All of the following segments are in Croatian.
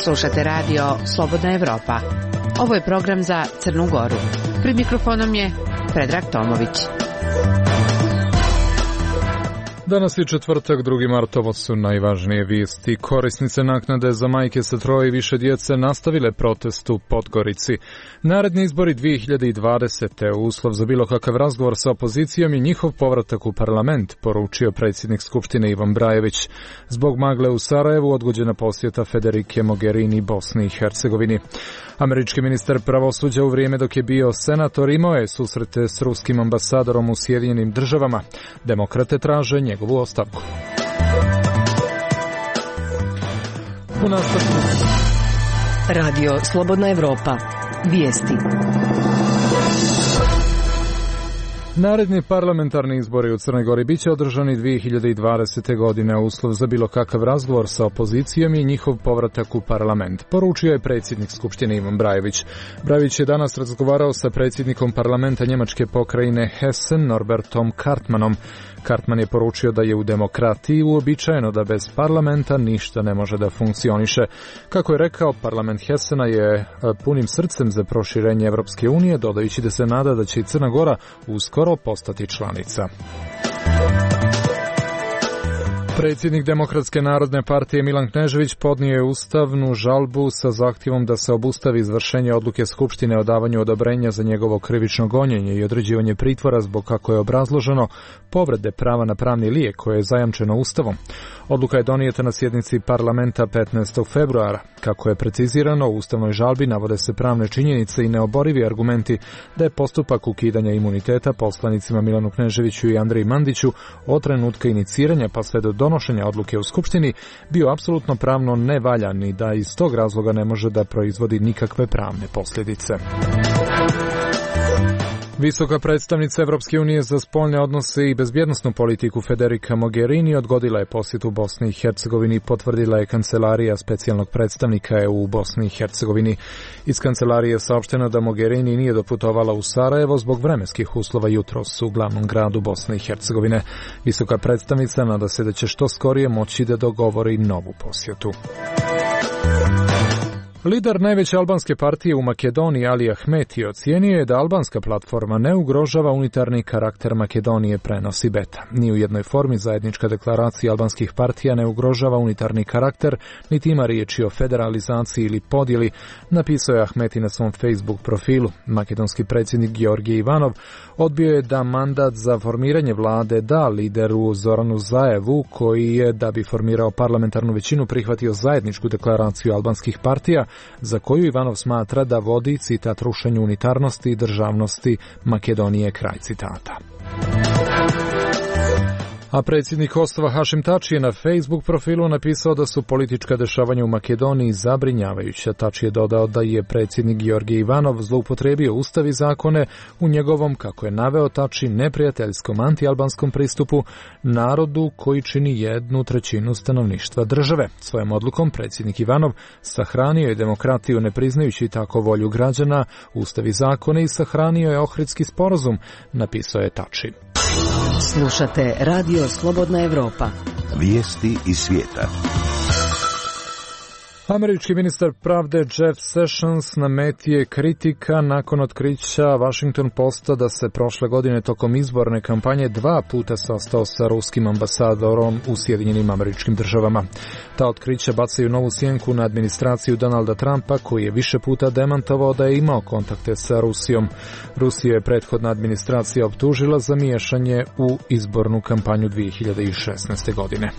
Slušate radio Slobodna Evropa. Ovo je program za Crnu Goru. Pred mikrofonom je Predrag Tomović. Danas je četvrtak, 2. mart, ovo su najvažnije vijesti. Korisnice naknade za majke sa troje i više djece nastavile protest u Podgorici. Naredni izbori 2020. uslov za bilo kakav razgovor sa opozicijom i njihov povratak u parlament, poručio predsjednik Skupštine Ivan Brajević. Zbog magle u Sarajevu odgođena posjeta Federike Mogherini Bosni i Hercegovini. Američki ministar pravosuđa u vrijeme dok je bio senator imao je susrete s ruskim ambasadorom u Sjedinjenim Državama. Demokrate traže njegovu ostavku. U nastavku Radio Slobodna Evropa. Vijesti. Naredni parlamentarni izbori u Crnoj Gori biće održani 2020. godine, a uslov za bilo kakav razgovor sa opozicijom i njihov povratak u parlament, poručio je predsjednik Skupštine Ivan Brajević. Brajević je danas razgovarao sa predsjednikom parlamenta njemačke pokrajine Hessen Norbertom Kartmanom. Kartman je poručio da je u demokratiji uobičajeno da bez parlamenta ništa ne može da funkcioniše. Kako je rekao, parlament Hessena je punim srcem za proširenje Evropske unije, dodajući da se nada da će i Crna Gora uskoro postati članica. Predsjednik Demokratske narodne partije Milan Knežević podnio je ustavnu žalbu sa zahtjevom da se obustavi izvršenje odluke Skupštine o davanju odobrenja za njegovo krivično gonjenje i određivanje pritvora zbog, kako je obrazloženo, povrede prava na pravni lijek koje je zajamčeno Ustavom. Odluka je donijeta na sjednici parlamenta 15. februara. Kako je precizirano, u ustavnoj žalbi navode se pravne činjenice i neoborivi argumenti da je postupak ukidanja imuniteta poslanicima Milanu Kneževiću i Andreji Mandiću od trenutka iniciranja pa sve do donošenja odluke u Skupštini bio apsolutno pravno nevaljan i da iz tog razloga ne može da proizvodi nikakve pravne posljedice. Visoka predstavnica Evropske unije za spoljne odnose i bezbjednosnu politiku Federika Mogherini odgodila je posjetu Bosni i Hercegovini i potvrdila je kancelarija specijalnog predstavnika EU u Bosni i Hercegovini. Iz kancelarije je saopšteno da Mogherini nije doputovala u Sarajevo zbog vremenskih uslova jutros u glavnom gradu Bosne i Hercegovine. Visoka predstavnica nada se da će što skorije moći da dogovori novu posjetu. Lider najveće albanske partije u Makedoniji Ali Ahmeti ocijenio je da albanska platforma ne ugrožava unitarni karakter Makedonije, prenosi Beta. Ni u jednoj formi zajednička deklaracija albanskih partija ne ugrožava unitarni karakter, niti ima riječi o federalizaciji ili podjeli, napisao je Ahmeti na svom Facebook profilu. Makedonski predsjednik Georgije Ivanov odbio je da mandat za formiranje vlade da lideru Zoranu Zaevu, koji je, da bi formirao parlamentarnu većinu, prihvatio zajedničku deklaraciju albanskih partija, za koju Ivanov smatra da vodi, citat, rušenju unitarnosti i državnosti Makedonije, kraj citata. A predsjednik Kosova Hašim Tači je na Facebook profilu napisao da su politička dešavanja u Makedoniji zabrinjavajuća. Tači je dodao da je predsjednik Georgije Ivanov zloupotrijebio ustav i zakone u njegovom, kako je naveo Tači, neprijateljskom antialbanskom pristupu narodu koji čini 1/3 stanovništva države. Svojom odlukom predsjednik Ivanov sahranio je demokratiju ne priznajući tako volju građana, ustav i zakone, i sahranio je Ohridski sporazum, napisao je Tači. Slušate Radio Slobodna Evropa. Vijesti iz svijeta. Američki ministar pravde Jeff Sessions na meti je kritika nakon otkrića Washington Posta da se prošle godine tokom izborne kampanje 2 puta sastao sa ruskim ambasadorom u Sjedinjenim Američkim Državama. Ta otkrića bacaju novu sjenku na administraciju Donalda Trumpa, koji je više puta demantovao da je imao kontakte sa Rusijom. Rusiju je prethodna administracija optužila za miješanje u izbornu kampanju 2016. godine.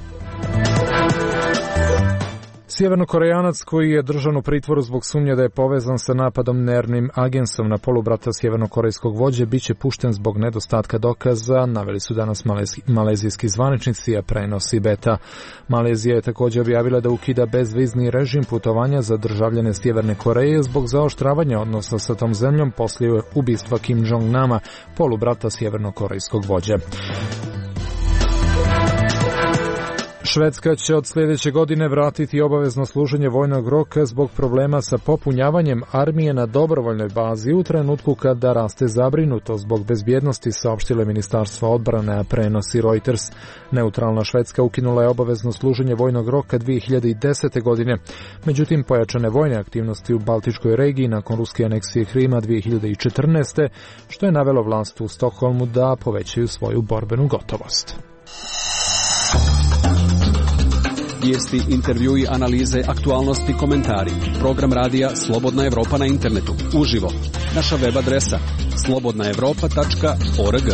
Sjevernokorejanac koji je držan u pritvoru zbog sumnje da je povezan sa napadom nervnim agensom na polubrata sjevernokorejskog vođe biće pušten zbog nedostatka dokaza, naveli su danas malezijski zvaničnici, a prenosi Beta. Malezija je također objavila da ukida bezvizni režim putovanja za državljane Sjeverne Koreje zbog zaoštravanja odnosa sa tom zemljom poslije ubistva Kim Jong-nama, polubrata sjevernokorejskog vođe. Švedska će od sljedeće godine vratiti obavezno služenje vojnog roka zbog problema sa popunjavanjem armije na dobrovoljnoj bazi u trenutku kada raste zabrinutost zbog bezbjednosti, saopštilo Ministarstvo odbrane, a prenosi Reuters. Neutralna Švedska ukinula je obavezno služenje vojnog roka 2010. godine. Međutim, pojačane vojne aktivnosti u Baltičkoj regiji nakon ruske aneksije Krima 2014. što je navelo vlast u Stokholmu da povećaju svoju borbenu gotovost. Vijesti, intervjui, analize, aktualnosti, komentari. Program radija Slobodna Evropa na internetu. Uživo. Naša web adresa slobodnaevropa.org.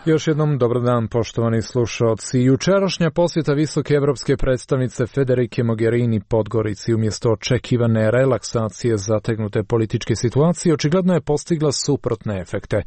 Još jednom dobar dan, poštovani slušalci. Jučerašnja posjeta visoke evropske predstavnice Federike Mogherini Podgorici umjesto očekivane relaksacije zategnute političke situacije očigledno je postigla suprotne efekte.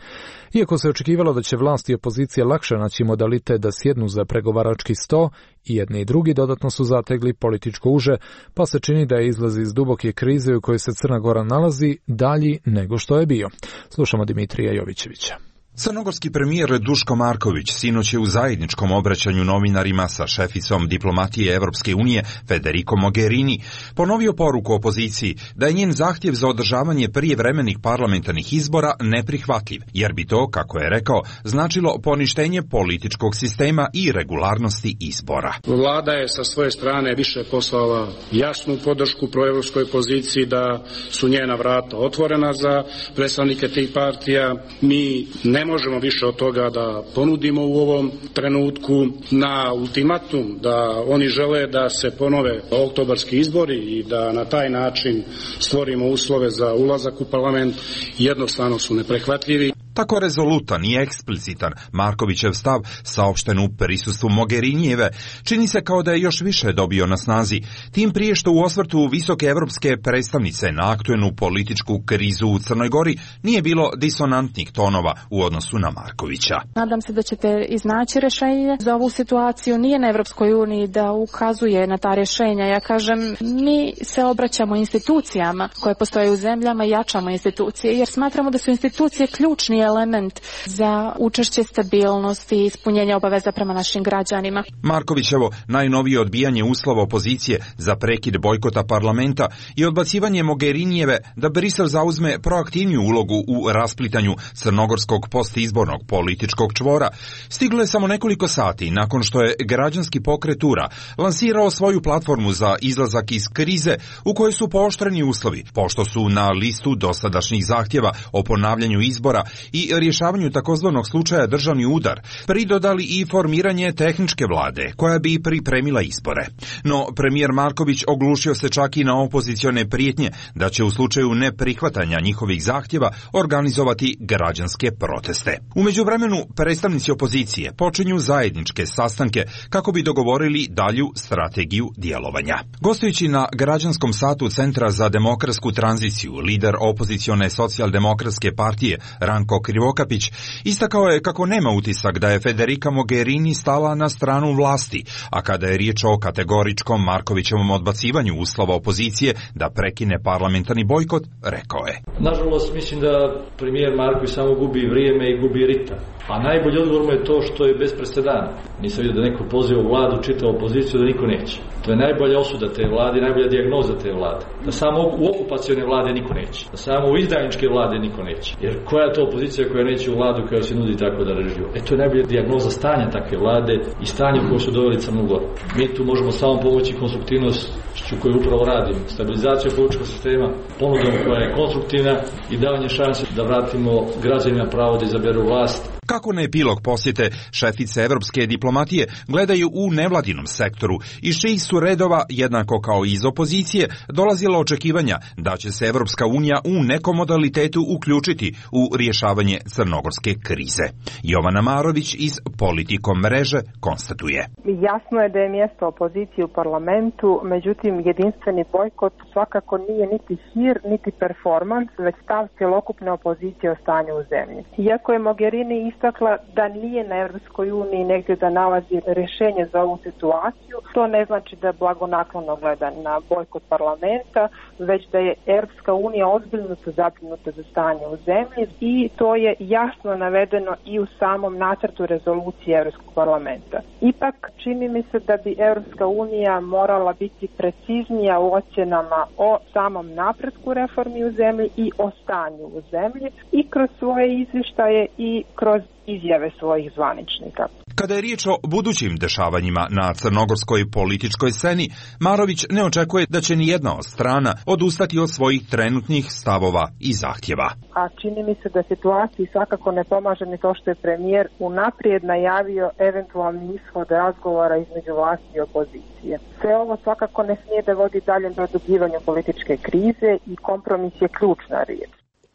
Iako se očekivalo da će vlast i opozicija lakše naći modalitet da sjednu za pregovarački sto, i jedni i drugi dodatno su zategli političko uže, pa se čini da je izlaz iz duboke krize u kojoj se Crna Gora nalazi dalji nego što je bio. Slušamo Dimitrija Jovićevića. Crnogorski premijer Duško Marković sinoć je u zajedničkom obraćanju novinarima sa šeficom diplomatije Evropske unije Federikom Mogherini ponovio poruku opoziciji da je njen zahtjev za održavanje prijevremenih parlamentarnih izbora neprihvatljiv, jer bi to, kako je rekao, značilo poništenje političkog sistema i regularnosti izbora. Vlada je sa svoje strane više poslala jasnu podršku proevropskoj poziciji da su njena vrata otvorena za predstavnike tih partija. Mi ne možemo više od toga da ponudimo u ovom trenutku. Na ultimatum da oni žele da se ponove oktobarski izbori i da na taj način stvorimo uslove za ulazak u parlament jednostavno su neprihvatljivi. Tako rezolutan i eksplicitan Markovićev stav, saopšten u prisustvu Mogherinijeve, čini se kao da je još više dobio na snazi, tim prije što u osvrtu visoke evropske predstavnice na aktuelnu političku krizu u Crnoj Gori nije bilo disonantnih tonova u odnosu na Markovića. Nadam se da ćete iznaći rješenje za ovu situaciju. Nije na Evropskoj uniji da ukazuje na ta rješenja. Ja kažem, mi se obraćamo institucijama koje postoje u zemljama i jačamo institucije, jer smatramo da su institucije ključni element za učešće, stabilnosti i ispunjenje obaveza prema našim građanima. Markovićevo najnovije odbijanje uslova opozicije za prekid bojkota parlamenta i odbacivanje Mogherinijeve da Brisel zauzme proaktivniju ulogu u rasplitanju crnogorskog postizbornog političkog čvora stiglo je samo nekoliko sati nakon što je građanski pokret URA lansirao svoju platformu za izlazak iz krize u kojoj su pooštreni uslovi, pošto su na listu dosadašnjih zahtjeva o ponavljanju izbora i rješavanju takozvanog slučaja državni udar pridodali i formiranje tehničke vlade koja bi pripremila izbore. No premijer Marković oglušio se čak i na opozicione prijetnje da će u slučaju neprihvatanja njihovih zahtjeva organizovati građanske proteste. U međuvremenu predstavnici opozicije počinju zajedničke sastanke kako bi dogovorili dalju strategiju djelovanja. Gostujući na građanskom satu Centra za demokratsku tranziciju, lider opozicione socijaldemokratske partije Ranko Krivokapić istakao je kako nema utisak da je Federica Mogherini stala na stranu vlasti, a kada je riječ o kategoričkom Markovićevom odbacivanju uslova opozicije da prekine parlamentarni bojkot, rekao je: Nažalost, mislim da premijer Marković samo gubi vrijeme i gubi ritam. A najbolji odgovor mu je to što je bez presedana. Nisam vidio da neko poziva vladu, čita opoziciju, da niko neće. To je najbolja osuda te vlade, najbolja dijagnoza te vlade. Da samo u okupacione vlade niko neće. Da samo u izdajničke vlade niko neće. Jer koja je to opozicija koja neće u vladu koja se nudi tako da režiju? To je najbolja dijagnoza stanja takve vlade i stanja u kojoj su doveli Crnu Goru. Mi tu možemo samo pomoći konstruktivnošću koju upravo radimo. Stabilizacija političkog sistema, ponudom koja je konstruktivna i davanje šanse da vratimo građanima pravo da izaberu vlast. Kako na epilog posjete šefice evropske diplomatije gledaju u nevladinom sektoru, iz čijih su redova, jednako kao i iz opozicije, dolazila očekivanja da će se Evropska unija u nekom modalitetu uključiti u rješavanje crnogorske krize. Jovana Marović iz Politikom mreže konstatuje: Jasno je da je mjesto opozicije u parlamentu, međutim jedinstveni bojkot svakako nije niti hir, niti performans, već stav cjelokupne opozicije o stanju u zemlji. Iako je Mogherini istakla da nije na Europskoj uniji negdje da nalazi rješenje za ovu situaciju. To ne znači da blagonaklono gleda na bojkot parlamenta, već da je Europska unija ozbiljno zabrinuta za stanje u zemlji i to je jasno navedeno i u samom nacrtu rezolucije Europskog parlamenta. Ipak čini mi se da bi Europska unija morala biti preciznija u ocjenama o samom napretku reformi u zemlji i o stanju u zemlji i kroz svoje izvještaje i kroz izjave svojih zvaničnika. Kada je riječ o budućim dešavanjima na crnogorskoj političkoj sceni, Marović ne očekuje da će nijedna od strana odustati od svojih trenutnih stavova i zahtjeva. A čini mi se da situaciji svakako ne pomaže ni to što je premijer unaprijed najavio eventualni ishod razgovora između vlasti i opozicije. Sve ovo svakako ne smije da vodi dalje produbljivanju političke krize i kompromis je ključna riječ.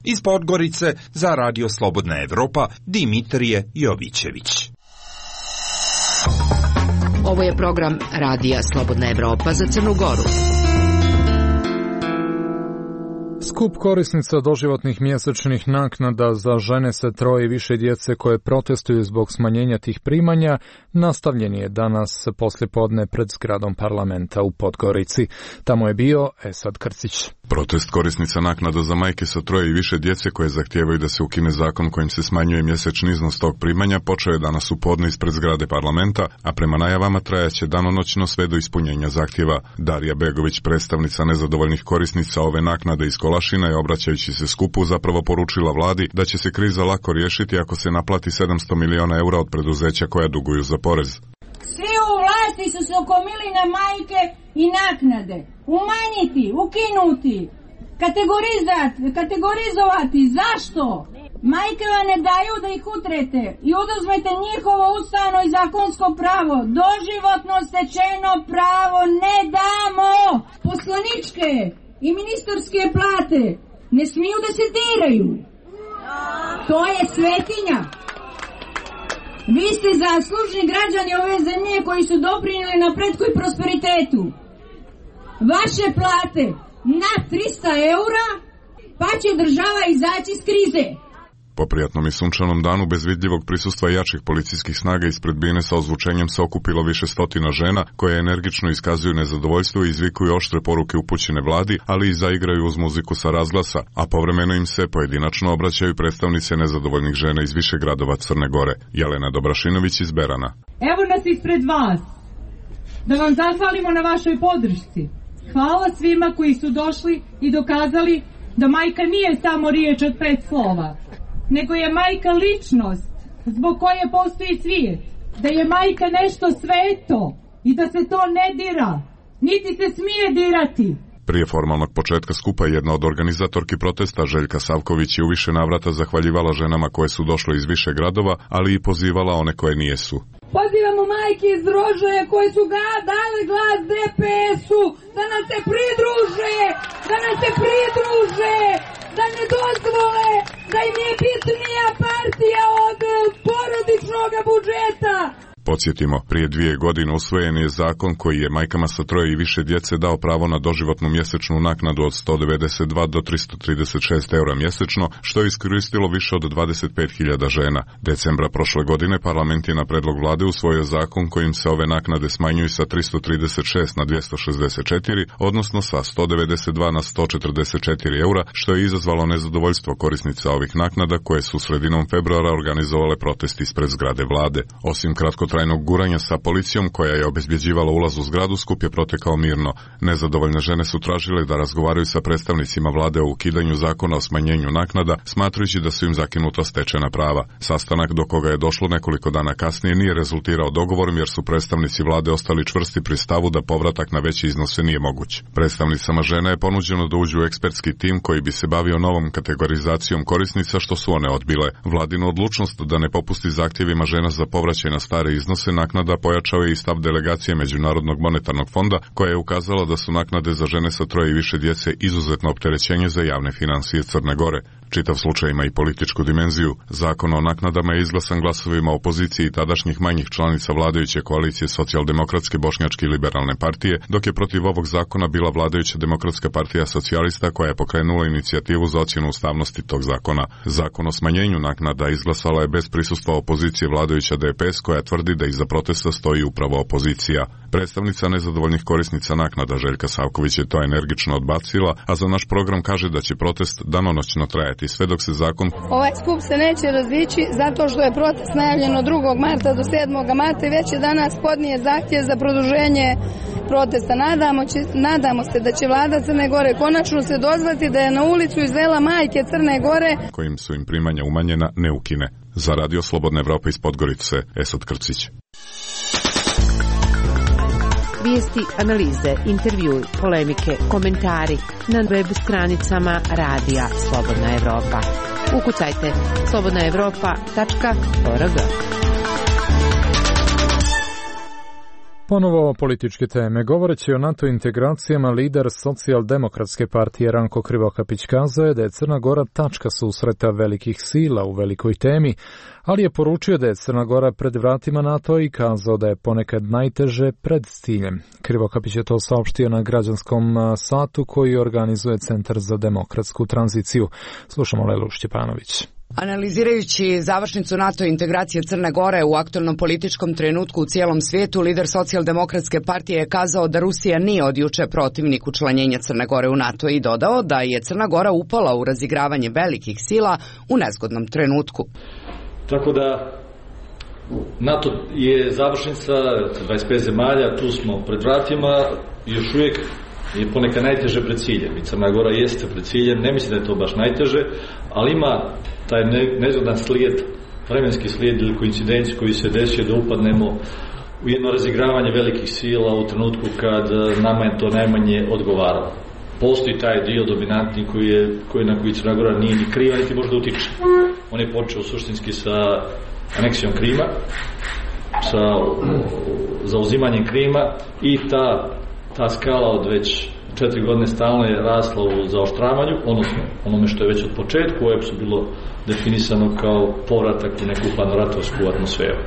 Iz Podgorice za Radio Slobodna Evropa, Dimitrije Jovićević. Ovo je program Radija Slobodna Evropa za Crnu Goru. Skup korisnica doživotnih mjesečnih naknada za žene sa 3 i više djece koje protestuju zbog smanjenja tih primanja nastavljen je danas poslijepodne pred zgradom parlamenta u Podgorici. Tamo je bio Esad Krcić. Protest korisnica naknada za majke sa 3 i više djece koje zahtijevaju da se ukine zakon kojim se smanjuje mjesečni iznos tog primanja počeo je danas u podne ispred zgrade parlamenta, a prema najavama trajaće danonoćno sve do ispunjenja zahtjeva. Darija Begović, predstavnica nezadovoljnih korisnica ove naknade iz Kolašina, je obraćajući se skupu zapravo poručila vladi da će se kriza lako riješiti ako se naplati 700 miliona eura od preduzeća koja duguju za porez. Svi u vlasti su se okomili na majke i naknade. Umanjiti, ukinuti, kategorizovati. Zašto? Majke vam ne daju da ih utrete i oduzmete njihovo ustavno i zakonsko pravo. Doživotno stečeno pravo ne damo. Poslaničke i ministarske plate ne smiju da se diraju. To je svetinja. Vi ste zaslužni građani ove zemlje koji su doprinijeli napretku i prosperitetu. Vaše plate na 300 eura, pa će država izaći iz krize. Po prijatnom i sunčanom danu bez vidljivog prisustva jačih policijskih snaga ispred bine sa ozvučenjem se okupilo više stotina žena koje energično iskazuju nezadovoljstvo i izvikuju oštre poruke upućene vladi, ali i zaigraju uz muziku sa razglasa, a povremeno im se pojedinačno obraćaju predstavnice nezadovoljnih žena iz više gradova Crne Gore. Jelena Dobrašinović iz Berana. Evo nas ispred vas, da vam zahvalimo na vašoj podršci. Hvala svima koji su došli i dokazali da majka nije samo riječ od 5 slova, nego je majka ličnost zbog koje postoji svijet, da je majka nešto sveto i da se to ne dira, niti se smije dirati. Prije formalnog početka skupa jedna od organizatorki protesta, Željka Savković, je u više navrata zahvaljivala ženama koje su došle iz više gradova, ali i pozivala one koje nijesu. Pozivamo majke iz Rožaja koje su dale glas DPS-u da nam se pridruže, da ne dozvole da im je bitnija partija od porodičnog budžeta. Podsjetimo, prije 2 godine usvojen je zakon koji je majkama sa 3 i više djece dao pravo na doživotnu mjesečnu naknadu od 192 do 336 eura mjesečno, što je iskoristilo više od 25.000 žena. Decembra prošle godine parlament je na predlog vlade usvojio zakon kojim se ove naknade smanjuju sa 336 na 264, odnosno sa 192 na 144 eura, što je izazvalo nezadovoljstvo korisnica ovih naknada koje su sredinom februara organizovale protest ispred zgrade vlade. Osim kratkotrajnog guranja sa policijom koja je obezbjeđivala ulaz u zgradu, skup je protekao mirno. Nezadovoljne žene su tražile da razgovaraju sa predstavnicima vlade o ukidanju zakona o smanjenju naknada, smatrajući da su im zakinuta stečena prava. Sastanak do koga je došlo nekoliko dana kasnije nije rezultirao dogovorom jer su predstavnici vlade ostali čvrsti pri stavu da povratak na veće iznose nije moguć. Predstavnicama žena je ponuđeno da uđu u ekspertski tim koji bi se bavio novom kategorizacijom korisnica, što su one odbile. Vladinu odlučnost da ne popusti zahtjevima žena za povraćaj na stare iznose naknada pojačao je i stav delegacije Međunarodnog monetarnog fonda, koja je ukazala da su naknade za žene sa 3 i više djece izuzetno opterećenje za javne financije Crne Gore. čitav slučaj ima i političku dimenziju. Zakon o naknadama je izglasan glasovima opozicije i tadašnjih manjih članica vladajuće koalicije Socijaldemokratske bošnjačke i liberalne partije, dok je protiv ovog zakona bila vladajuća Demokratska partija socijalista koja je pokrenula inicijativu za ocjenu ustavnosti tog zakona. Zakon o smanjenju naknada izglasala je bez prisustva opozicije vladajuća DPS koja tvrdi da iza protesta stoji upravo opozicija. Predstavnica nezadovoljnih korisnica naknada Željka Savković je to energično odbacila, a za naš program kaže da će protest danonoćno trajati sve dok se zakon... Ovaj skup se neće razići zato što je protest najavljen od 2. marta do 7. marta i već je danas podnije zahtjev za produženje protesta. Nadamo se da će vlada Crne Gore konačno se dozvati da je na ulicu izvela majke Crne Gore kojim su im primanja umanjena ne ukine. Za Radio Slobodna Evropa iz Podgorice, Esad Krcić. Vijesti, analize, intervjui, polemike, komentari na web stranicama Radija Slobodna Evropa. Ukucajte slobodnaevropa.org. Ponovo o političke teme. Govoreći o NATO integracijama, lider Socijaldemokratske partije Ranko Krivokapić kazao je da je Crna Gora tačka susreta velikih sila u velikoj temi, ali je poručio da je Crna Gora pred vratima NATO i kazao da je ponekad najteže pred ciljem. Krivokapić je to saopštio na građanskom satu koji organizuje Centar za demokratsku tranziciju. Slušamo Lelu Šćepanović. Analizirajući završnicu NATO integracije Crne Gore u aktualnom političkom trenutku u cijelom svijetu, lider Socijaldemokratske partije je kazao da Rusija nije od juče protivnik učlanjenja Crne Gore u NATO i dodao da je Crna Gora upala u razigravanje velikih sila u nezgodnom trenutku. Tako da NATO je završnica, 25 zemalja, tu smo pred vratima i još uvijek je ponekad najteže pred ciljem. I Crna Gora jeste pred ciljem, ne mislim da je to baš najteže, ali ima taj nezgodan slijed, vremenski slijed ili koincidenciju koji se desio da upadnemo u jedno razigravanje velikih sila u trenutku kad nama je to najmanje odgovaralo. Postoji taj dio dominantni na koji Crna Gora nije ni kriva, niti može da utiče. On je počeo suštinski sa aneksijom Krima, sa zauzimanjem Krima i ta skala od već 4 godine stalno je rasla u zaoštravanju, odnosno onome što je već od početku u bilo definisano kao povratak u neku hladnoratovsku atmosferu.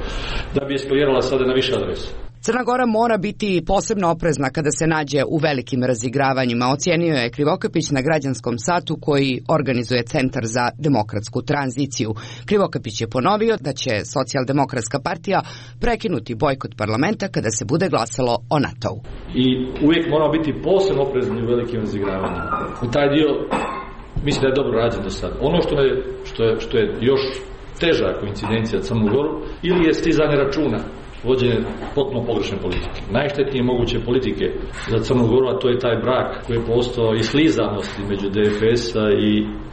Da bi eskalirala sada na više adresa. Crna Gora mora biti posebno oprezna kada se nađe u velikim razigravanjima, ocijenio je Krivokapić na građanskom satu koji organizuje Centar za demokratsku tranziciju. Krivokapić je ponovio da će Socijaldemokratska partija prekinuti bojkot parlamenta kada se bude glasalo o NATO-u. I uvijek moramo biti posebno oprezni u velikim razigravanjima. U taj dio mislim da je dobro rađen do sada. Ono što je još teža koincidencija Crnu Goru ili je stizanje računa, vođenje potpuno pogrešne politike. Najštetnije moguće politike za Crnu Goru, a to je taj brak koji je postao i slizanosti među DFS-a i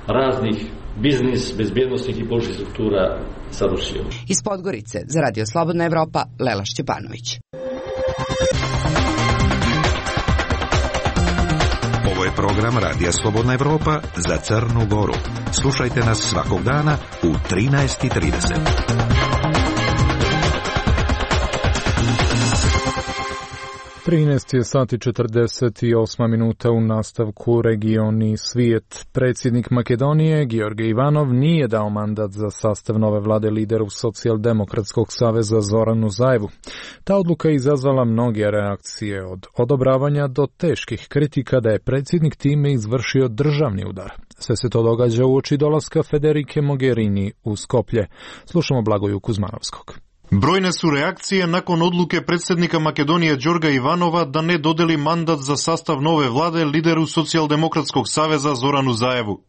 raznih biznis, bezbjednostnih i političkih struktura sa Rusijom. Iz Podgorice za Radio Slobodna Evropa, Lela Šćepanović. Ovo je program Radija Slobodna Evropa za Crnu Goru. Slušajte nas svakog dana u 13:30. 13 je sati 48 minuta u nastavku regioni svijet. Predsjednik Makedonije, Georgij Ivanov, nije dao mandat za sastav nove vlade lideru Socijaldemokratskog saveza Zoranu Zaevu. Ta odluka je izazvala mnoge reakcije, od odobravanja do teških kritika da je predsjednik time izvršio državni udar. Sve se to događa uoči dolaska Federike Mogherini u Skoplje. Slušamo Blagoju Kuzmanovskog. Brojne su reakcije nakon odluke predsjednika Makedonije Đorga Ivanova da ne dodeli mandat za sastav nove vlade lideru Socijaldemokratskog saveza Zoranu Zaevu.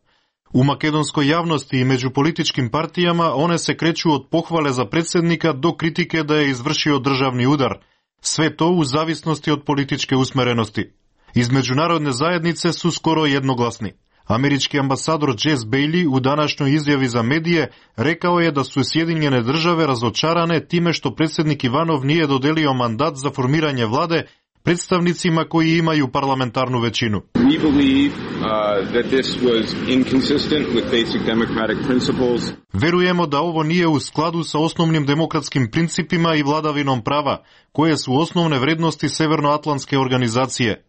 U makedonskoj javnosti i među političkim partijama one se kreću od pohvale za predsjednika do kritike da je izvršio državni udar. Sve to u zavisnosti od političke usmerenosti. Iz međunarodne zajednice su skoro jednoglasni. Američki ambasador Jess Bailey u današnjoj izjavi za medije rekao je da su Sjedinjene države razočarane time što predsjednik Ivanov nije dodelio mandat za formiranje vlade predstavnicima koji imaju parlamentarnu većinu. We believe that this was inconsistent with basic democratic principles. Verujemo da ovo nije u skladu sa osnovnim demokratskim principima i vladavinom prava, koje su osnovne vrednosti Severnoatlantske organizacije.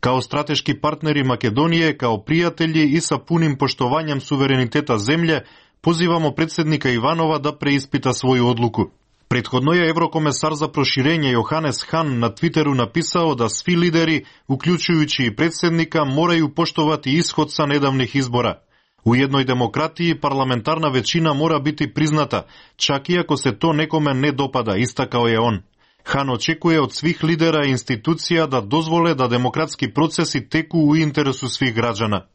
Kao strateški partneri Makedonije, kao prijatelji i sa punim poštovanjem suvereniteta zemlje, pozivamo predsjednika Ivanova da preispita svoju odluku. Prethodno je Evrokomesar za proširenje Johannes Hahn na Twitteru napisao da svi lideri, uključujući i predsjednika, moraju poštovati ishod sa nedavnih izbora. U jednoj demokratiji parlamentarna većina mora biti priznata, čak i ako se to nekome ne dopada, istakao je on. Hahn očekuje od svih lidera i institucija da dozvole da demokratski procesi teku u interesu svih građana.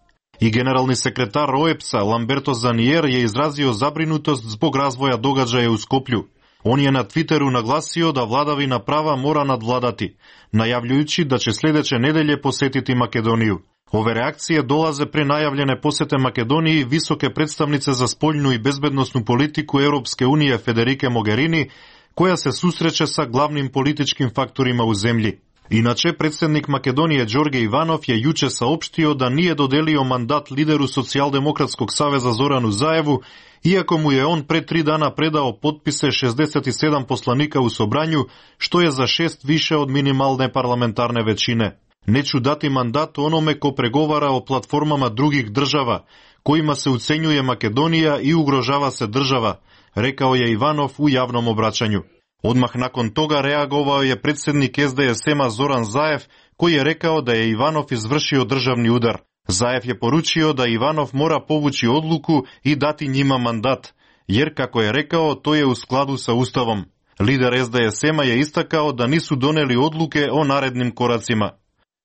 I generalni sekretar OEBS-a Lamberto Zanier je izrazio zabrinutost zbog razvoja događaja u Skoplju. On je na Twitteru naglasio da vladavina prava mora nadvladati, najavljujući da će sljedeće nedelje posjetiti Makedoniju. Ove reakcije dolaze pre najavljene posete Makedoniji visoke predstavnice za spoljnu i bezbednosnu politiku Europske unije Federike Mogherini, koja se susreće sa glavnim političkim faktorima u zemlji. Inače, predsjednik Makedonije Đorđe Ivanov je juče saopštio da nije dodelio mandat lideru Socijaldemokratskog saveza Zoranu Zaevu, iako mu je on pre 3 dana predao potpise 67 poslanika u Sobranju, što je za 6 više od minimalne parlamentarne većine. Neću dati mandat onome ko pregovara o platformama drugih država, kojima se ucenjuje Makedonija i ugrožava se država, rekao je Ivanov u javnom obraćanju. Odmah nakon toga reagovao je predsjednik SDSM-a Zoran Zaev, koji je rekao da je Ivanov izvršio državni udar. Zaev je poručio da Ivanov mora povući odluku i dati njima mandat, jer, kako je rekao, to je u skladu sa Ustavom. Lider SDSM-a je istakao da nisu doneli odluke o narednim koracima.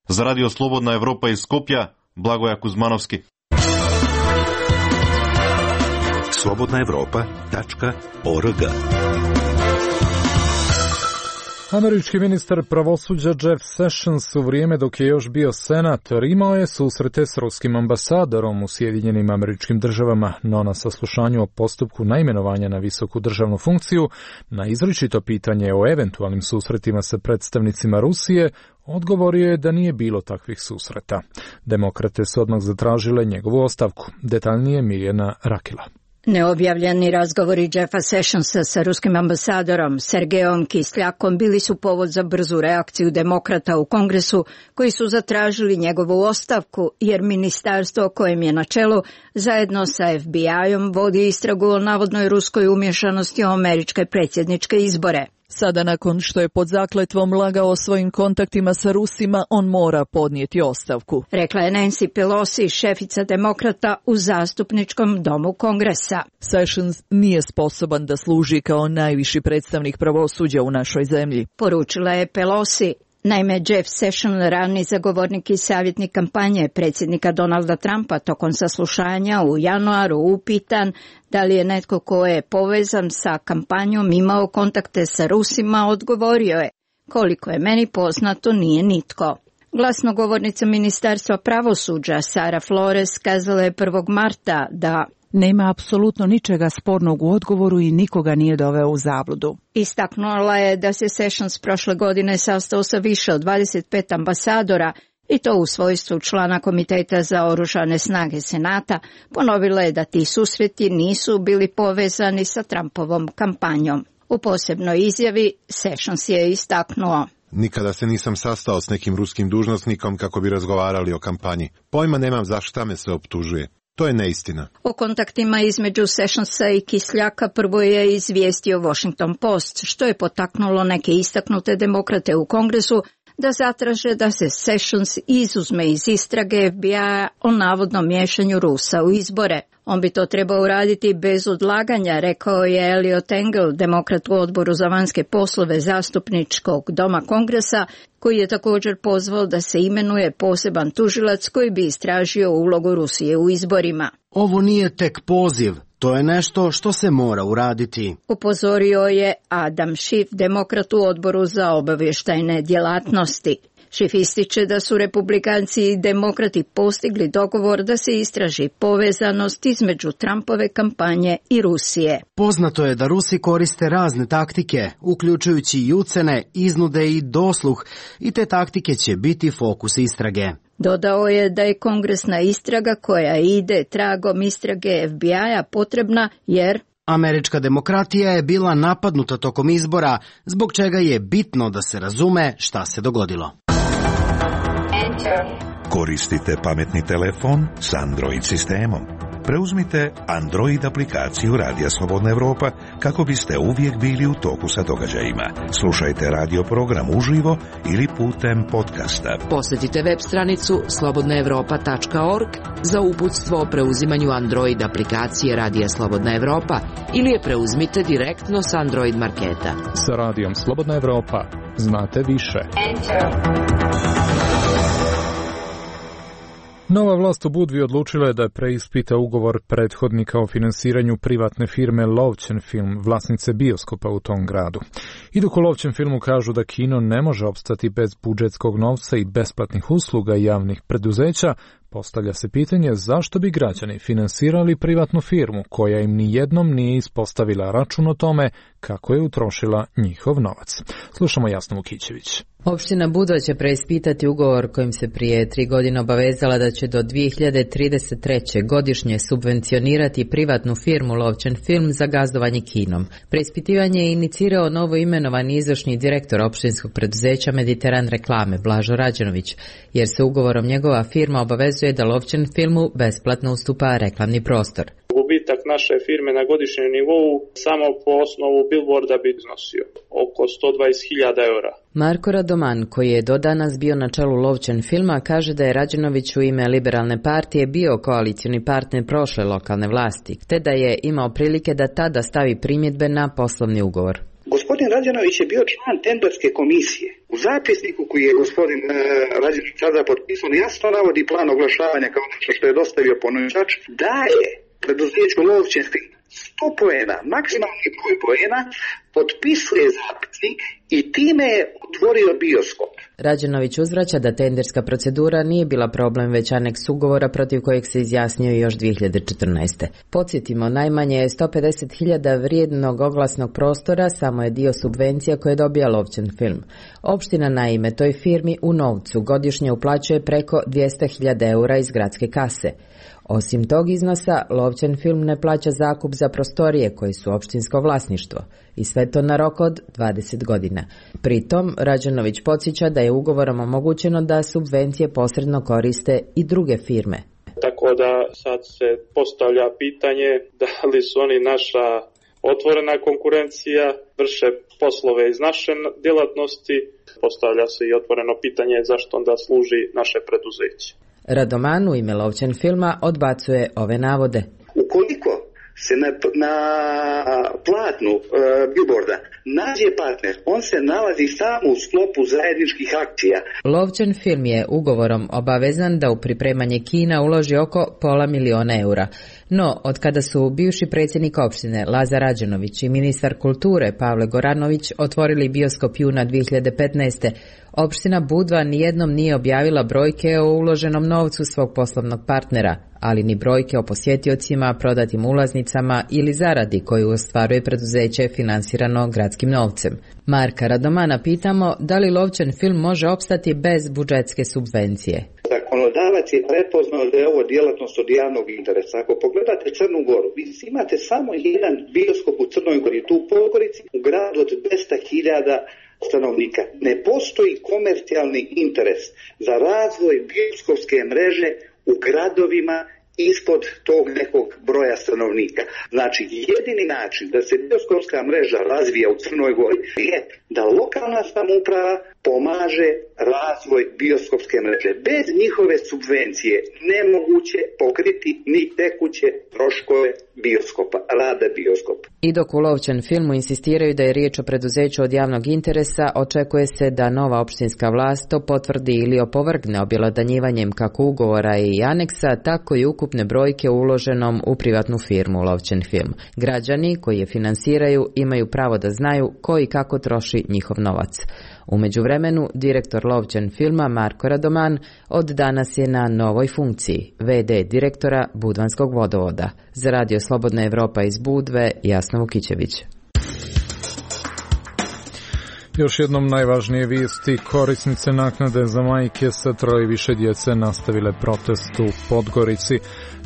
Za Radio Slobodna Evropa iz Skopja, Blagoja Kuzmanovski. slobodnaevropa.org. Američki ministar pravosuđa Jeff Sessions u vrijeme dok je još bio senator imao je susrete s ruskim ambasadorom u Sjedinjenim Američkim Državama, no na saslušanju o postupku naimenovanja na visoku državnu funkciju, na izričito pitanje o eventualnim susretima sa predstavnicima Rusije, odgovorio je da nije bilo takvih susreta. Demokrate su odmah zatražile njegovu ostavku. Detaljnije Mirjana Rakila. Neobjavljeni razgovori Jeffa Sessionsa sa ruskim ambasadorom Sergejom Kisljakom bili su povod za brzu reakciju demokrata u Kongresu, koji su zatražili njegovu ostavku, jer ministarstvo kojem je na čelu zajedno sa FBI-om vodi istragu o navodnoj ruskoj umješanosti u američke predsjedničke izbore. Sada, nakon što je pod zakletvom lagao o svojim kontaktima sa Rusima, on mora podnijeti ostavku, rekla je Nancy Pelosi, šefica demokrata u zastupničkom domu Kongresa. Sessions nije sposoban da služi kao najviši predstavnik pravosuđa u našoj zemlji, poručila je Pelosi. Naime, Jeff Sessions, raniji zagovornik i savjetnik kampanje predsjednika Donalda Trumpa, tokom saslušanja u januaru upitan da li je netko ko je povezan sa kampanjom imao kontakte sa Rusima, odgovorio je: koliko je meni poznato, nije nitko. Glasnogovornica Ministarstva pravosuđa Sara Flores kazala je 1. marta da nema apsolutno ničega spornog u odgovoru i nikoga nije doveo u zabludu. Istaknula je da se Sessions prošle godine sastao sa više od 25 ambasadora, i to u svojstvu člana Komiteta za oružane snage Senata. Ponovila je da ti susreti nisu bili povezani sa Trumpovom kampanjom. U posebnoj izjavi Sessions je istaknuo: nikada se nisam sastao s nekim ruskim dužnosnikom kako bi razgovarali o kampanji. Pojma nemam za šta me se optužuje. To je neistina. O kontaktima između Sessionsa i Kisljaka prvo je izvijestio Washington Post, što je potaknulo neke istaknute demokrate u Kongresu da zatraže da se Sessions izuzme iz istrage FBI-a o navodnom miješanju Rusa u izbore. On bi to trebao uraditi bez odlaganja, rekao je Eliot Engel, demokrat u odboru za vanjske poslove zastupničkog doma Kongresa, koji je također pozvao da se imenuje poseban tužilac koji bi istražio ulogu Rusije u izborima. Ovo nije tek poziv, to je nešto što se mora uraditi, upozorio je Adam Schiff, demokrat u odboru za obavještajne djelatnosti. Schiff ističe da su republikanci i demokrati postigli dogovor da se istraži povezanost između Trumpove kampanje i Rusije. Poznato je da Rusi koriste razne taktike, uključujući i ucene, iznude i dosluh, i te taktike će biti fokus istrage. Dodao je da je kongresna istraga koja ide tragom istrage FBI-a potrebna jer američka demokratija je bila napadnuta tokom izbora, zbog čega je bitno da se razume šta se dogodilo. Koristite pametni telefon s Android sistemom. Preuzmite Android aplikaciju Radija Slobodna Evropa kako biste uvijek bili u toku sa događajima. Slušajte radio program uživo ili putem podcasta. Posjetite web stranicu slobodnaevropa.org za uputstvo o preuzimanju Android aplikacije Radija Slobodna Evropa ili je preuzmite direktno s Android marketa. Sa Radijom Slobodna Evropa znate više. Nova vlast u Budvi odlučila je da preispita ugovor prethodnika o finansiranju privatne firme Lovćen Film, vlasnice bioskopa u tom gradu. I dok u Lovćen Filmu kažu da kino ne može opstati bez budžetskog novca i besplatnih usluga javnih preduzeća, postavlja se pitanje zašto bi građani finansirali privatnu firmu koja im ni jednom nije ispostavila račun o tome kako je utrošila njihov novac. Slušamo Jasnu Vukićević. Opština Budva će preispitati ugovor kojim se prije 3 godine obavezala da će do 2033. godišnje subvencionirati privatnu firmu Lovćen Film za gazdovanje kinom. Preispitivanje je inicirao novo imenovani izvršni direktor opštinskog preduzeća Mediteran reklame Blažo Rađenović, jer se ugovorom njegova firma obavezuje da Lovćen Filmu besplatno ustupa reklamni prostor. Gubitak naše firme na godišnjem nivou samo po osnovu billboarda bi iznosio oko 120.000 eura. Marko Radoman, koji je do danas bio na čelu Lovćen Filma, kaže da je Rađenović u ime Liberalne partije bio koalicioni partner prošle lokalne vlasti, te da je imao prilike da tada stavi primjedbe na poslovni ugovor. Gospodin Rađenović je bio član tenderske komisije. U zapisniku koji je gospodin Rađenović sada potpisao jasno navodi plan oglašavanja kao nešto što je dostavio ponuđač, da je preduzeću Lovćen Film 100 poena, maksimalni broj poena, potpisuje zapisnik i time je otvorio bioskop. Rađenović uzvraća da tenderska procedura nije bila problem, već aneks ugovora protiv kojeg se izjasnio još 2014. Podsjetimo, najmanje je 150.000 vrijednog oglasnog prostora, samo je dio subvencija koje dobija Lovćen Film. Opština naime toj firmi u novcu godišnje uplaćuje preko 200.000 eura iz gradske kase. Osim tog iznosa, Lovćen Film ne plaća zakup za prostorije koji su opštinsko vlasništvo i sve to na rok od 20 godina. Pritom, Rađenović podsjeća da je ugovorom omogućeno da subvencije posredno koriste i druge firme. Tako da sad se postavlja pitanje da li su oni naša otvorena konkurencija, vrše poslove iz naše djelatnosti, postavlja se i otvoreno pitanje zašto onda služi naše preduzeće. Radoman u ime Lovćen Filma odbacuje ove navode. Ukoliko se na platnu billboarda nađe partner, on se nalazi samo u sklopu zajedničkih akcija. Lovćen Film je ugovorom obavezan da u pripremanje kina uloži oko $500.000 eura. No, od kada su bivši predsjednik opštine Lazar Rađenović i ministar kulture Pavle Goranović otvorili bioskop juna 2015. opština Budva nijednom nije objavila brojke o uloženom novcu svog poslovnog partnera, ali ni brojke o posjetiocima, prodatim ulaznicama ili zaradi koju ostvaruje preduzeće finansirano gradskim novcem. Marka Radomana pitamo da li Lovćen Film može opstati bez budžetske subvencije. Zakonodavac je prepoznao da je ovo djelatnost od javnog interesa. Ako pogledate Crnu Goru, vi imate samo jedan bioskop u Crnoj Gori, tu u Podgorici, u gradu od 200.000 stanovnika. Ne postoji komercijalni interes za razvoj bioskopske mreže u gradovima ispod tog nekog broja stanovnika. Znači, jedini način da se bioskopska mreža razvija u Crnoj Gori je da lokalna samouprava pomaže razvoj bioskopske mreže. Bez njihove subvencije nemoguće pokriti ni tekuće troškove bioskopa, rada bioskopa. I dok u Lovćen Filmu insistiraju da je riječ o preduzeću od javnog interesa, očekuje se da nova opštinska vlast to potvrdi ili opovrgne objelodanjivanjem kako ugovora i aneksa, tako i ukupne brojke uloženom u privatnu firmu Lovćen Film. Građani koji je finansiraju imaju pravo da znaju ko i kako troši njihov novac. U međuvremenu, direktor Lovćen Filma Marko Radoman od danas je na novoj funkciji, VD direktora Budvanskog vodovoda. Za Radio Slobodna Evropa iz Budve, Jasna Vukićević. Još jednom najvažnije vijesti, korisnice naknade za majke sa 3 i više djece nastavile protest u Podgorici.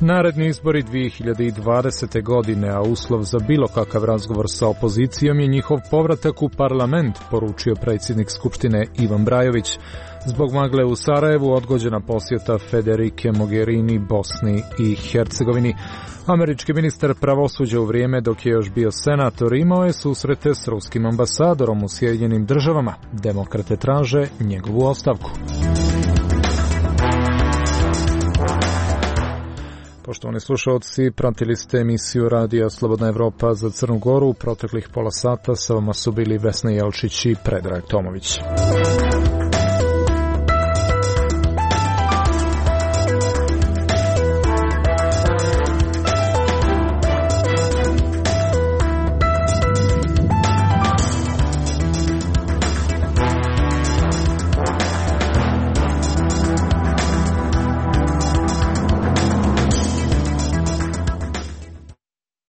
Naredni izbori 2020. godine, a uslov za bilo kakav razgovor sa opozicijom je njihov povratak u parlament, poručio predsjednik Skupštine Ivan Brajović. Zbog magle u Sarajevu odgođena posjeta Federike Mogherini Bosni i Hercegovini. Američki ministar pravosuđa u vrijeme dok je još bio senator imao je susrete s ruskim ambasadorom u Sjedinjenim Državama. Demokrate traže njegovu ostavku. Poštovani slušalci, pratili ste emisiju Radija Slobodna Evropa za Crnu Goru. U proteklih pola sata sa vama su bili Vesna Jelčić i Predrag Tomović.